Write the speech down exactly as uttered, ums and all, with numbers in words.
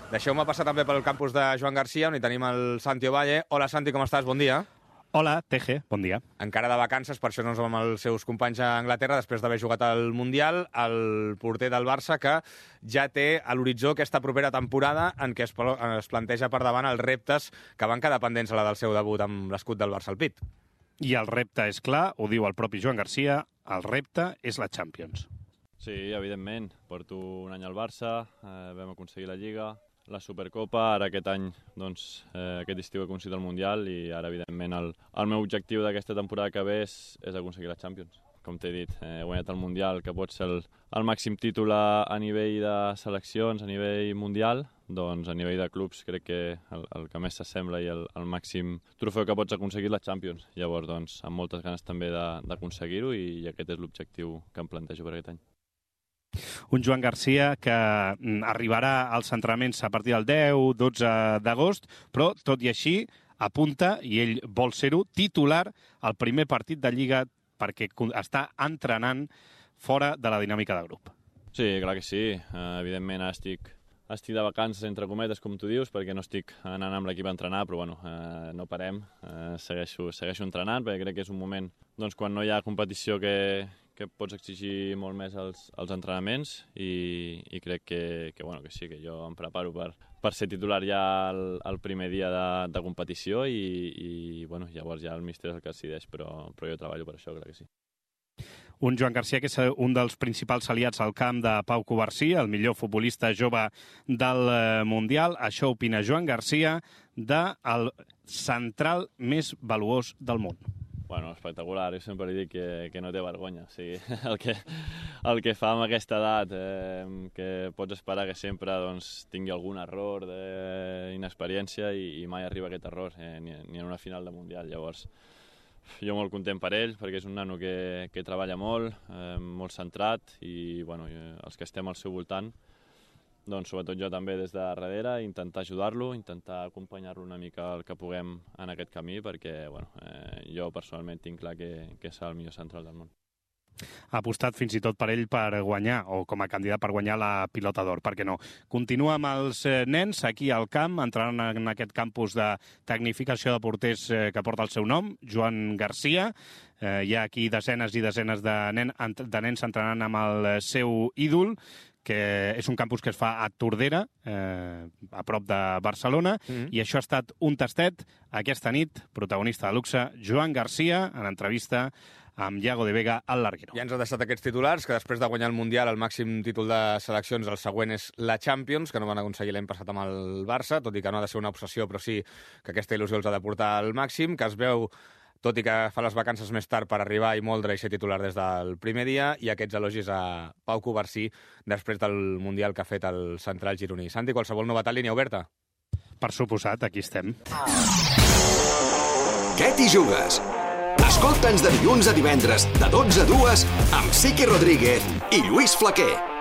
Deixeu-me passar també pel campus de Joan Garcia, on hi tenim el Santi Ovalle. Hola, Santi, com estàs? Bon dia. Hola, Teje, bon dia. Encara de vacances, per això no ens vam amb els seus companys a Anglaterra, després d'haver jugat al Mundial, el porter del Barça, que ja té a l'horitzó aquesta propera temporada en què es, es planteja per davant els reptes que van quedar pendents a la del seu debut amb l'escut del Barça al pit. I el repte és clar, ho diu el propi Joan Garcia, el repte és la Champions. Sí, evidentment. Porto un any al Barça, eh, vam aconseguir la Lliga, la Supercopa, ara aquest any, doncs, eh, aquest estiu he aconseguit el Mundial i ara, evidentment, el, el meu objectiu d'aquesta temporada que ve és, és aconseguir la Champions. Com t'he dit, eh, he guanyat el Mundial, que pot ser el, el màxim títol a, a nivell de seleccions, a nivell mundial, doncs a nivell de clubs crec que el, el que més s'assembla i el, el màxim trofeu que pots aconseguir la Champions. Llavors, doncs, amb moltes ganes també d'aconseguir-ho i, i aquest és l'objectiu que em plantejo per aquest any. Un Joan Garcia que arribarà als entrenaments a partir del deu dotze d'agost, però, tot i així, apunta, i ell vol ser-ho, titular al primer partit de Lliga perquè està entrenant fora de la dinàmica de grup. Sí, clar que sí. Uh, evidentment, ara estic, estic de vacances, entre cometes, com tu dius, perquè no estic anant amb l'equip a entrenar, però bueno, uh, no parem. Uh, segueixo, segueixo entrenant, perquè crec que és un moment doncs, quan no hi ha competició que, que pots exigir molt més els, els entrenaments i, i crec que, que, bueno, que sí, que jo em preparo per, per ser titular ja el, el primer dia de, de competició i, i bueno, llavors ja el míster és el que decideix, però, però jo treballo per això, clar que sí. Un Joan Garcia que és un dels principals aliats al camp de Pau Covarsí, el millor futbolista jove del Mundial. Això opina Joan Garcia del central més valuós del món. Bueno, espectacular. Jo sempre li dic que, que no té vergonya. O sigui, el, que, el que fa amb aquesta edat, eh, que pots esperar que sempre doncs, tingui algun error d'inexperiència i, i mai arriba aquest error, eh, ni, ni en una final de Mundial. Llavors, jo molt content per ell, perquè és un nano que, que treballa molt, eh, molt centrat i bueno, els que estem al seu voltant, doncs sobretot jo també des de darrere, intentar ajudar-lo, intentar acompanyar-lo una mica el que puguem en aquest camí, perquè bueno, eh, jo personalment tinc clar que, que és el millor central del món. Ha apostat fins i tot per ell per guanyar, o com a candidat per guanyar la Pilota d'Or, per què no? Continua amb els nens aquí al camp, entrant en aquest campus de tecnificació de porters que porta el seu nom, Joan Garcia. Eh, hi ha aquí desenes i desenes de, nen, de nens entrenant amb el seu ídol, que és un campus que es fa a Tordera, eh, a prop de Barcelona, mm-hmm. i això ha estat un tastet aquesta nit, protagonista de luxe, Joan Garcia, en entrevista amb Iago de Vega al Larguero. Ja ens ha deixat aquests titulars, que després de guanyar el Mundial, el màxim títol de seleccions, el següent és la Champions, que no van aconseguir l'any passat amb el Barça, tot i que no ha de ser una obsessió, però sí que aquesta il·lusió els ha de portar al màxim, que es veu, tot i que fa les vacances més tard per arribar i moldre i ser titular des del primer dia, i aquests elogis a Pau Covarsí després del Mundial que ha fet el central gironí. Santi, qualsevol novetat, línia oberta? Per suposat, aquí estem. Què t'hi jugues? Escolta'ns de dilluns a divendres, de dotze a dues, amb Siqui Rodríguez i Lluís Flaquer.